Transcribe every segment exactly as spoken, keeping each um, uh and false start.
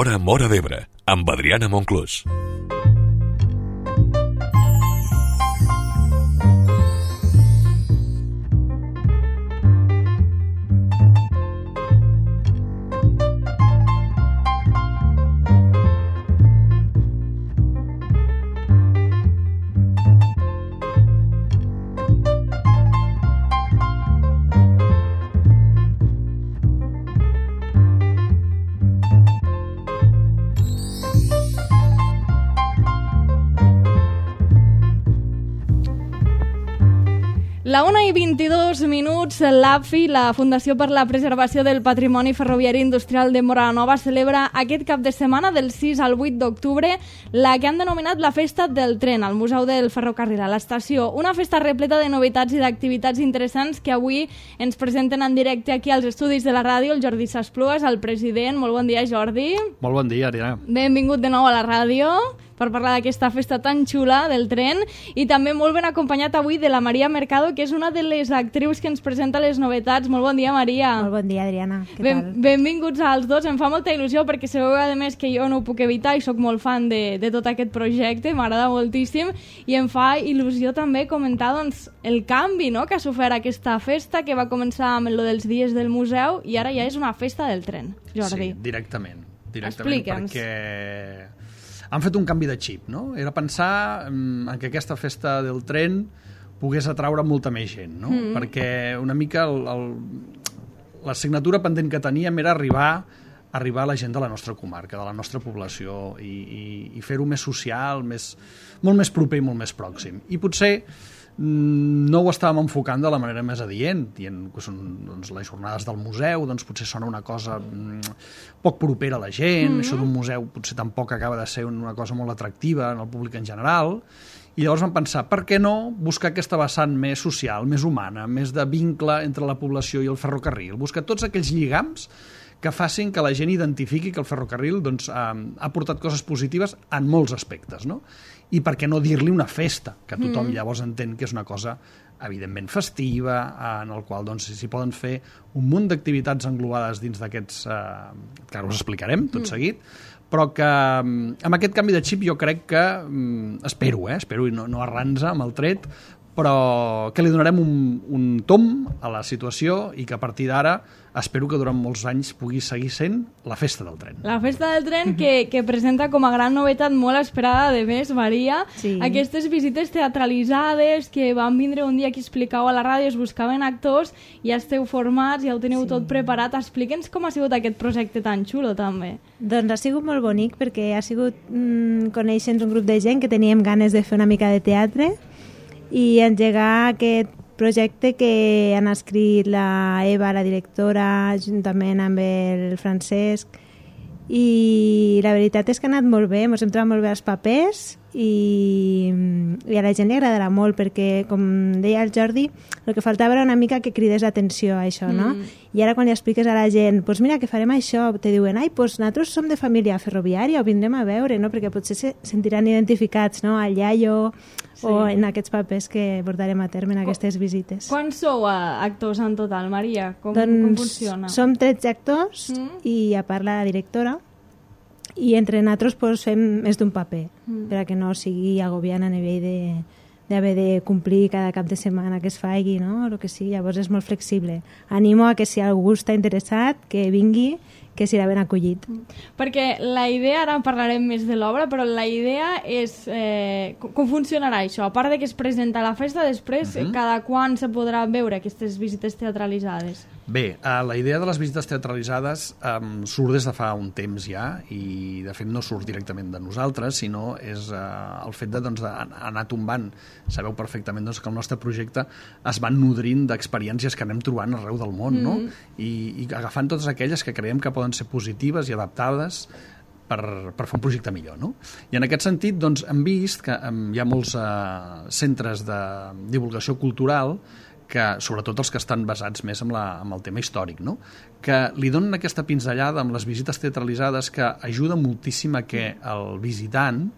Sona Móra d'Ebre, amb Adriana Monclús. La una i vint-i-dos minuts, l'A P F I, la Fundació per la Preservació del Patrimoni Ferroviari Industrial de Móra la Nova, celebra aquest cap de setmana del sis al vuit d'octubre la que han denominat la Festa del Tren al Museu del Ferrocarril a l'estació. Una festa repleta de novetats i d'activitats interessants que avui ens presenten en directe aquí als estudis de la ràdio el Jordi Sasplugas, el president. Molt bon dia, Jordi. Molt bon dia, Ariana. Benvingut de nou a la ràdio per parlar d'aquesta festa tan xula del tren, i també molt ben acompanyat avui de la Maria Mercado, que és una de les actrius que ens presenta les novetats. Molt bon dia, Maria. Molt bon dia, Adriana. Què ben, tal? Benvinguts als dos. Em fa molta il·lusió perquè sabeu, a més, que jo no ho puc evitar i sóc molt fan de, de tot aquest projecte, m'agrada moltíssim, i em fa il·lusió també comentar doncs, el canvi, no?, que ha sofert aquesta festa, que va començar amb el dels dies del museu i ara ja és una festa del tren. Jordi. Sí, directament. directament Explica'ns. Perquè han fet un canvi de xip, no? Era pensar en que aquesta festa del tren pogués atraure molta més gent, no? Mm. Perquè una mica el, el, l'assignatura pendent que teníem era arribar, arribar a la gent de la nostra comarca, de la nostra població, i, i, i fer-ho més social, més, molt més proper i molt més pròxim. I potser no ho estàvem enfocant de la manera més adient, dient que són doncs, les jornades del museu, doncs potser sona una cosa mm, poc propera a la gent, mm-hmm. Això d'un museu potser tampoc acaba de ser una cosa molt atractiva en el públic en general, i llavors vam pensar, per què no buscar aquesta vessant més social, més humana, més de vincle entre la població i el ferrocarril, buscar tots aquells lligams que facin que la gent identifiqui que el ferrocarril doncs, ha, ha portat coses positives en molts aspectes, no? I per què no dir-li una festa, que tothom mm. llavors entén que és una cosa evidentment festiva, en el qual doncs, s'hi poden fer un munt d'activitats englobades dins d'aquests, eh, que ara us explicarem tot mm. seguit, però que amb aquest canvi de xip jo crec que, espero, eh, espero i no, no arranza amb el tret, però que li donarem un, un tom a la situació i que a partir d'ara espero que durant molts anys pugui seguir sent la festa del tren. La festa del tren que, que presenta com a gran novetat molt esperada de més, Maria, sí. Aquestes visites teatralitzades que van vindre un dia que explicau a la ràdio, es buscaven actors, ja esteu formats, ja ho teniu sí. tot preparat. Explica'ns com ha sigut aquest projecte tan xulo també. Doncs ha sigut molt bonic perquè ha sigut mmm, conèixer un grup de gent que teníem ganes de fer una mica de teatre i engegar aquest projecte que han escrit la Eva, la directora, juntament amb el Francesc, i la veritat és que ha anat molt bé, ens hem trobat molt bé els papers i, i a la gent li agradarà molt perquè, com deia el Jordi, el que faltava era una mica que cridés l'atenció a això, no? Mm. I ara quan li expliques a la gent, doncs pues mira, que farem això, te diuen, ai, doncs pues nosaltres som de família ferroviària, ho vindrem a veure, no? Perquè potser se sentiran identificats, no?, al iaio, sí. O en aquests papers que portarem a terme en aquestes visites. Quants sou actors en total, Maria? Com, doncs com funciona? Som tretze actors mm. i a part la directora, i entre nosaltres pues, fem més d'un paper mm. per a que no sigui agobiant a nivell de d'haver de complir cada cap de setmana que es faci, no? O el que sigui, llavors és molt flexible. Animo a que si algú està interessat, que vingui, que serà ben acollit. Perquè la idea, ara parlarem més de l'obra, però la idea és eh, com funcionarà això? A part de que es presenta la festa, després uh-huh. cada quan se podrà veure aquestes visites teatralitzades? Bé, eh, la idea de les visites teatralitzades um, surt des de fa un temps ja, i de fet no surt directament de nosaltres, sinó és eh, el fet de, doncs, d'anar tombant. Sabeu perfectament doncs, que el nostre projecte es va nodrint d'experiències que anem trobant arreu del món, mm. no? I, i agafant totes aquelles que creiem que poden ser positives i adaptades per, per fer un projecte millor, no? I en aquest sentit doncs, hem vist que um, hi ha molts uh, centres de divulgació cultural que, sobretot els que estan basats més en, la, en el tema històric, no? Que li donen aquesta pinzellada amb les visites teatralitzades que ajuda moltíssim a que el visitant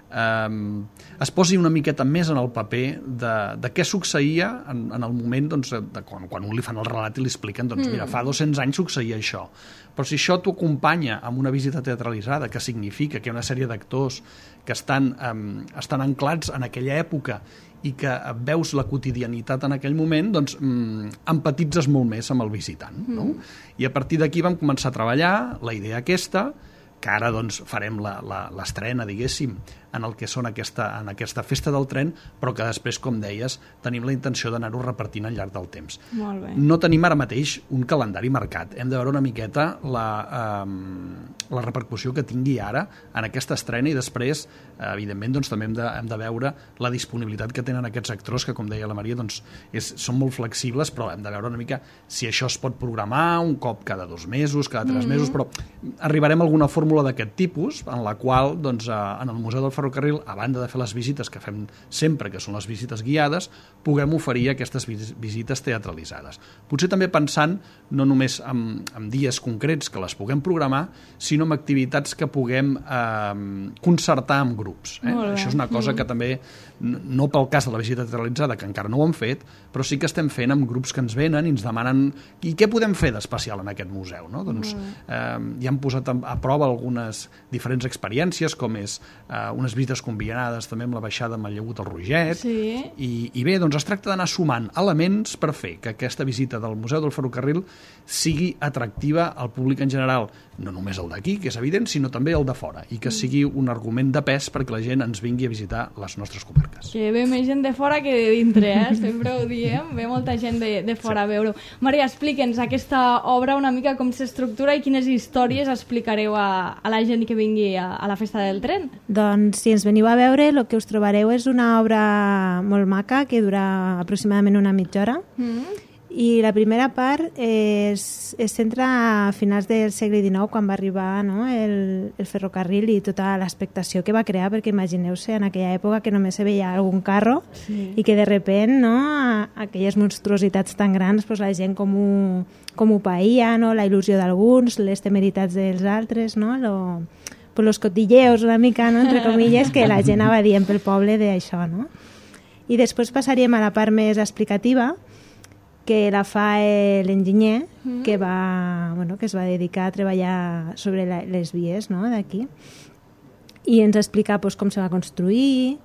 eh, es posi una miqueta més en el paper de, de què succeïa en, en el moment doncs, de quan, quan un li fan el relat i li expliquen doncs, mm. mira, fa dos-cents anys succeïa això. Però si això t'ho acompanya amb una visita teatralitzada, que significa que hi ha una sèrie d'actors que estan, um, estan anclats en aquella època i que veus la quotidianitat en aquell moment, doncs um, empatitzes molt més amb el visitant. Mm. No? I a partir d'aquí vam començar a treballar la idea aquesta, que ara doncs, farem l'estrena, diguéssim, en el que són aquesta, en aquesta festa del tren, però que després, com deies, tenim la intenció d'anar-ho repartint al llarg del temps. Molt bé. No tenim ara mateix un calendari marcat. Hem de veure una miqueta la, eh, la repercussió que tingui ara en aquesta estrena i després, eh, evidentment, doncs, també hem de, hem de veure la disponibilitat que tenen aquests actors, que, com deia la Maria, doncs, és, són molt flexibles, però hem de veure una mica si això es pot programar un cop cada dos mesos, cada tres mm-hmm. mesos, però arribarem a alguna fórmula d'aquest tipus, en la qual, doncs, eh, en el Museu del Ferrocarril, a banda de fer les visites que fem sempre, que són les visites guiades, puguem oferir aquestes visites teatralitzades. Potser també pensant no només en, en dies concrets que les puguem programar, sinó en activitats que puguem eh, concertar amb grups. Eh? Això és una cosa que també, no pel cas de la visita teatralitzada, que encara no ho hem fet, però sí que estem fent amb grups que ens venen i ens demanen i què podem fer d'especial en aquest museu. No? Doncs eh, ja hem posat a, a prova algunes diferents experiències, com és eh, unes visites combinades també amb la baixada amb el Llagut al Roget, sí. i, i bé, doncs es tracta d'anar sumant elements per fer que aquesta visita del Museu del Ferrocarril sigui atractiva al públic en general, no només el d'aquí, que és evident, sinó també el de fora, i que sigui un argument de pes perquè la gent ens vingui a visitar les nostres comarques. Que ve més gent de fora que de dintre, eh? Sempre ho diem, ve molta gent de, de fora sí. a veure-ho. Maria, explica'ns aquesta obra una mica com s'estructura i quines històries explicareu a, a la gent que vingui a, a la festa del tren. Doncs si ens veniu a veure, el que us trobareu és una obra molt maca que dura aproximadament una mitja hora. Mm. I la primera part es, es centra a finals del segle dinou, quan va arribar, no, el, el ferrocarril i tota l'expectació que va crear, perquè imagineu-se en aquella època que només se veia algun carro sí. i que de repent, no, a, aquelles monstruositats tan grans, pues, la gent com ho, com ho païa, no, la il·lusió d'alguns, les temeritats dels altres, no, lo, pues los cotilleos una mica, no, entre comilles, que la gent anava dient pel poble d'això, no? I després passaríem a la part més explicativa, que la fa l'enginyer, mm. que, va, bueno, que es va dedicar a treballar sobre la, les vies, no, d'aquí, i ens explica pues, com se va construir,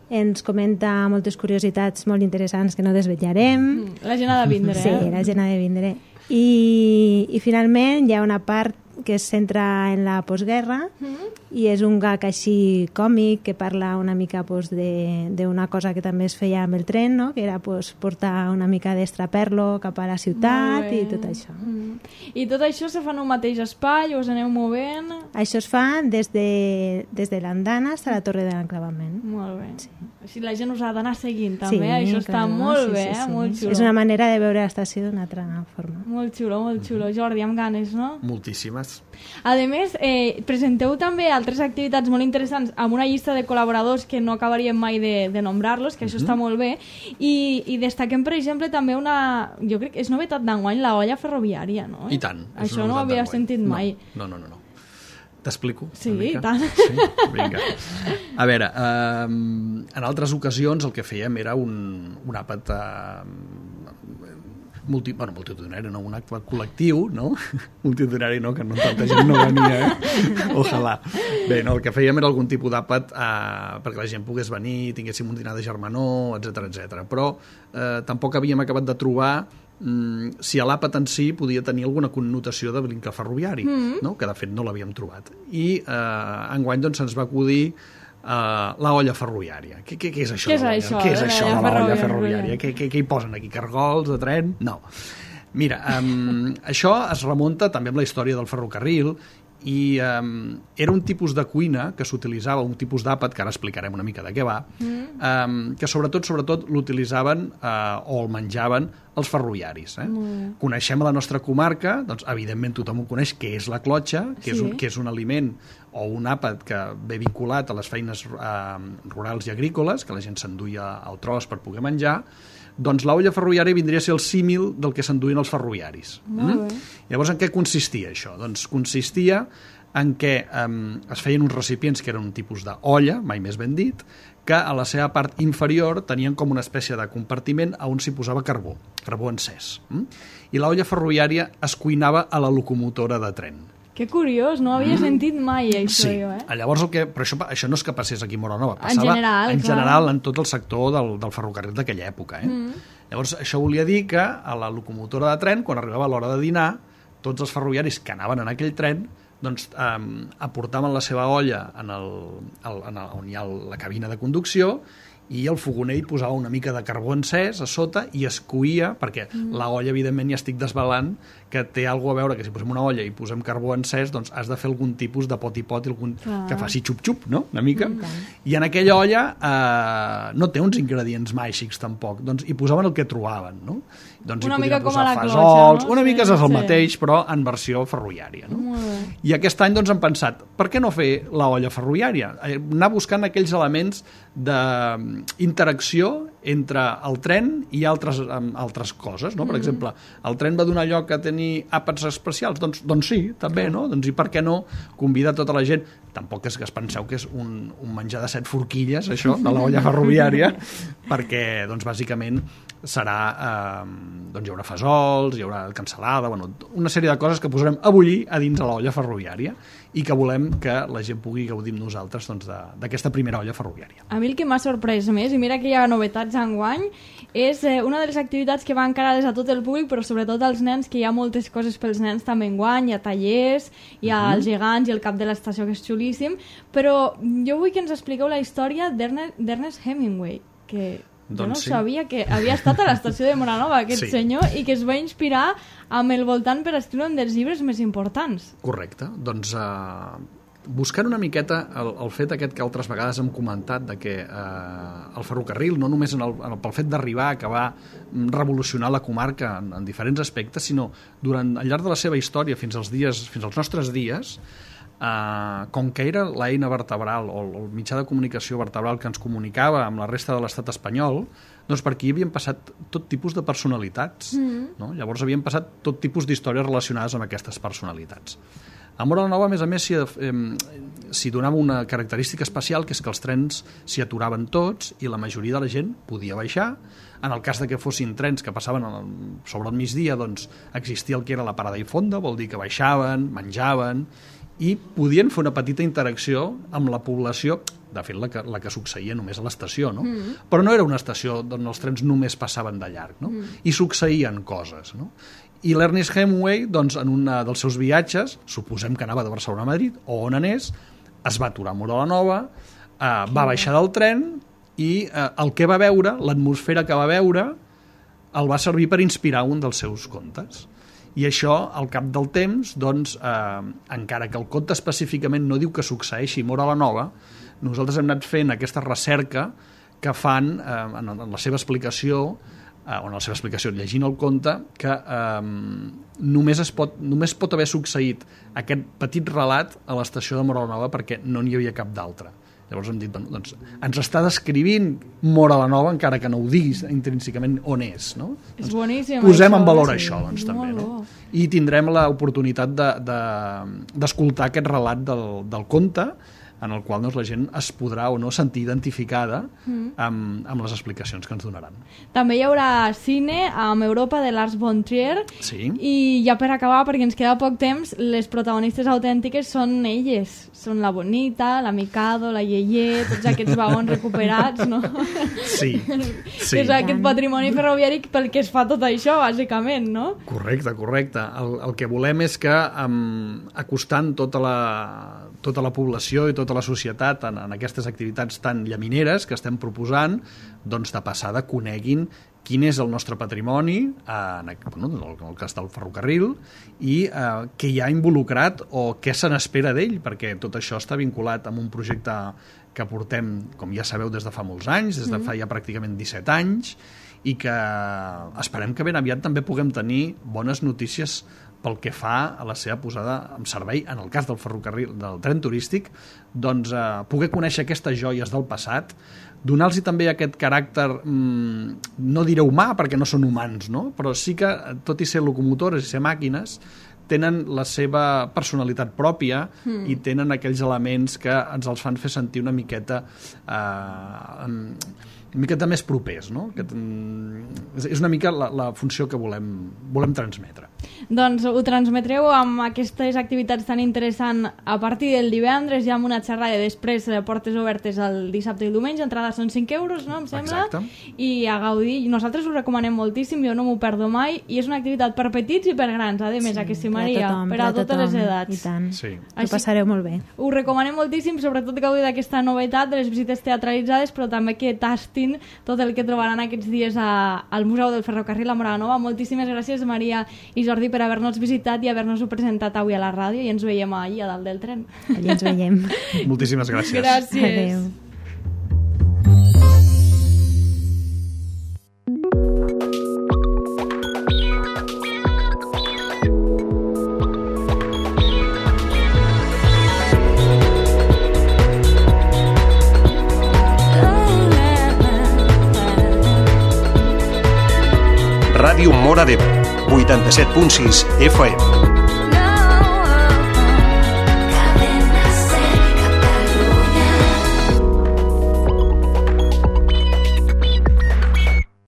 ens comenta moltes curiositats molt interessants que no desvetllarem. Mm. La gent ha de vindre, sí, eh? la gent ha de vindre. I, i finalment hi ha una part que es centra en la postguerra mm. i és un gag així còmic que parla una mica pues, d'una cosa que també es feia amb el tren, no? Que era pues, portar una mica d'extraperlo cap a la ciutat i tot això. Mm. I tot això se fa en un mateix espai o us aneu movent? Això es fa des de, des de l'andana fins a la torre de l'enclavament. Molt bé. Sí. Així la gent us ha d'anar seguint també, sí, això està clar, molt sí, bé, sí, sí. molt xulo. És una manera de veure l'estació d'una altra forma. Molt xulo, molt xulo. Jordi, amb ganes, no? Moltíssimes. A més, eh, presenteu també altres activitats molt interessants amb una llista de col·laboradors que no acabaríem mai de, de nombrar-los, que això uh-huh. està molt bé, i, i destaquem, per exemple, també una... Jo crec que és novetat d'enguany, la olla ferroviària, no? I tant. Això no ho havia sentit mai. No, no, no, no. T'explico? Sí, i tant. Sí? Vinga. A veure, eh, en altres ocasions el que fèiem era un, un àpat eh, multi, bueno, multitudinari, no, un acte col·lectiu, no? Multitudinari no, que no tanta gent no venia, eh? Ojalà. Bé, no, el que fèiem era algun tipus d'àpat eh, perquè la gent pogués venir, tinguéssim un dinar de germanor, etcètera, etcètera. Però eh, tampoc havíem acabat de trobar si l'àpat en si podia tenir alguna connotació de vincle ferroviari, mm. no? Que de fet no l'havíem trobat. I eh, enguany doncs, se'ns va acudir uh, la olla ferroviària. Què, què, què és això? Què és això, què és eh, això de la ferroviària. olla ferroviària? Què, què, què hi posen aquí? Cargols de tren? No. Mira, um, això es remunta també amb la història del ferrocarril i um, era un tipus de cuina que s'utilitzava, un tipus d'àpat, que ara explicarem una mica de què va, mm. um, que sobretot sobretot l'utilitzaven uh, o el menjaven els ferroviaris. Eh? Mm. Coneixem a la nostra comarca, doncs evidentment tothom ho coneix, que és la clotxa, que, sí. és, un, que és un aliment o un àpat que ve vinculat a les feines uh, rurals i agrícoles, que la gent s'enduia al tros per poder menjar. Doncs l'olla ferroviària vindria a ser el símil del que s'enduïen els ferroviaris. Mm? Llavors, en què consistia això? Doncs consistia en què um, es feien uns recipients que eren un tipus d'olla, mai més ben dit, que a la seva part inferior tenien com una espècie de compartiment on s'hi posava carbó, carbó encès. Mm? I l'olla ferroviària es cuinava a la locomotora de tren. Que curiós, no havia mm. sentit mai això, sí. jo, eh? Llavors, el que, però això, això no és que passés aquí a Móra la Nova, passava en general, en, clar. general, en tot el sector del, del ferrocarril d'aquella època. Eh? Mm. Llavors, això volia dir que a la locomotora de tren, quan arribava l'hora de dinar, tots els ferroviaris que anaven en aquell tren doncs, eh, aportaven la seva olla en el, el, en el, on hi ha la cabina de conducció i el fogoner hi posava una mica de carbó encès a sota i es coïa, perquè mm. la olla, evidentment, ja estic desvelant que té alguna a veure, que si posem una olla i posem carbó encès, doncs has de fer algun tipus de pot i pot algun, ah. que faci xup-xup, no?, una mica. Mm. I en aquella olla eh, no té uns ingredients màgics, tampoc. Doncs hi posaven el que trobaven, no? Doncs una hi mica com a la fesols, cloxa, no? Una mica sí, és el sí. mateix, però en versió ferroviària, no? I aquest any doncs, hem pensat, per què no fer l'olla ferroviària? Anar buscant aquells elements d'interacció entre el tren i altres, altres coses, no? Per mm. exemple, el tren va donar lloc a tenir àpats especials? Doncs, doncs sí, també, no? Doncs i per què no convidar tota la gent? Tampoc és que es penseu que és un, un menjar de set forquilles, això, de l'olla ferroviària, perquè, doncs, bàsicament serà, eh, doncs hi haurà fesols, hi haurà cansalada, bueno, una sèrie de coses que posarem a bullir a dins de l'olla ferroviària i que volem que la gent pugui gaudir amb nosaltres doncs, d'aquesta primera olla ferroviària. A mi el que m'ha sorprès més, i mira que hi ha novetats enguany, és eh, una de les activitats que va encarades a tot el públic, però sobretot als nens, que hi ha moltes coses pels nens també enguany, hi ha tallers, hi ha uh-huh. els gegants i el cap de l'estació, que és xulíssim, però jo vull que ens expliqueu la història d'Ernest Hemingway, que... Doncs jo no sí. sabia que havia estat a l'estació de Móra la Nova, aquest sí. senyor, i que es va inspirar amb el voltant per escriure un dels llibres més importants. Correcte. Doncs uh, buscant una miqueta el, el fet aquest que altres vegades hem comentat de que uh, el ferrocarril, no només en el, en el, pel fet d'arribar, que va revolucionar la comarca en, en diferents aspectes, sinó durant al llarg de la seva història fins als dies, fins als nostres dies, Uh, com que era l'eina vertebral o el mitjà de comunicació vertebral que ens comunicava amb la resta de l'estat espanyol, doncs per aquí havien passat tot tipus de personalitats. Mm. No? Llavors havien passat tot tipus d'històries relacionades amb aquestes personalitats. A Móra la Nova, a més a més, s'hi eh, donava una característica especial, que és que els trens s'hi aturaven tots i la majoria de la gent podia baixar. En el cas de que fossin trens que passaven sobre el migdia, doncs existia el que era la parada i fonda, vol dir que baixaven, menjaven, i podien fer una petita interacció amb la població, de fet la que, la que succeïa només a l'estació, no? Mm. Però no era una estació on els trens només passaven de llarg, no? Mm. I succeïen coses, no? I l'Ernest Hemingway, doncs, en un dels seus viatges, suposem que anava de Barcelona a Madrid, o on anés, es va aturar a Móra la Nova, eh, va baixar del tren i eh, el que va veure, l'atmosfera que va veure, el va servir per inspirar un dels seus contes. I això, al cap del temps, doncs, eh, encara que el conte específicament no diu que succeeixi a Móra la Nova, nosaltres hem anat fent aquesta recerca que fan eh, en, en la seva explicació, eh, o en la seva explicació, llegint el conte, que eh, només, es pot, només pot haver succeït aquest petit relat a l'estació de Móra la Nova perquè no n'hi havia cap d'altre. Llavors hem dit, bueno, doncs, ens està descrivint Móra la Nova, encara que no ho diguis intrínsecament on és, no? És doncs, boníssim. Posem això, en valor sí. això, doncs, també, molt no? I tindrem l'oportunitat d'escoltar de, de, aquest relat del, del conte, en el qual doncs, la gent es podrà o no sentir identificada mm. amb, amb les explicacions que ens donaran. També hi haurà cine amb Europa de Lars von Trier, sí. I ja per acabar, perquè ens queda poc temps, les protagonistes autèntiques són elles, són la Bonita, la Mikado, la Yeye, tots aquests vagons recuperats, no? Sí, sí. És aquest patrimoni ferroviari pel que es fa tot això, bàsicament, no? Correcte, correcte. El, el que volem és que um, acostant tota la, tota la població i tota la societat en, en aquestes activitats tan llamineres que estem proposant, doncs de passada coneguin quin és el nostre patrimoni en, bueno, en el cas del ferrocarril i eh, què hi ha involucrat o què se n'espera d'ell, perquè tot això està vinculat amb un projecte que portem, com ja sabeu, des de fa molts anys, des de fa ja pràcticament disset anys, i que esperem que ben aviat també puguem tenir bones notícies pel que fa a la seva posada en servei, en el cas del ferrocarril, del tren turístic, doncs eh, poder conèixer aquestes joies del passat, donar-los també aquest caràcter, mmm, no diré humà, perquè no són humans, no? Però sí que, tot i ser locomotores i ser màquines, tenen la seva personalitat pròpia mm. i tenen aquells elements que ens els fan fer sentir una miqueta eh, una miqueta més propers, no? Que, és una mica la, la funció que volem, volem transmetre. Doncs ho transmetreu amb aquestes activitats tan interessants a partir del divendres, ja amb una xerrada després, portes obertes el dissabte i el diumenge, entrada són cinc euros, no? Em sembla. Exacte. I a gaudir. Nosaltres ho recomanem moltíssim, jo no m'ho perdo mai, i és una activitat per petits i per grans, a més, sí, a que sí, Maria, per a, tothom, per a totes tothom, les edats. I tant. Sí. Ho passareu molt bé. Ho recomanem moltíssim, sobretot gaudir d'aquesta novetat de les visites teatralitzades, però també que tastin tot el que trobaran aquests dies a, al Museu del Ferrocarril a Móra la Nova. Moltíssimes gràcies, Maria i Jordi, per haver-nos visitat i haver-nos-ho presentat avui a la ràdio, i ens veiem allà a dalt del tren. Allà ens veiem. Moltíssimes gràcies. Gràcies. Adéu. Ràdio Móra d'Ebre, vuitanta-set punt sis F M.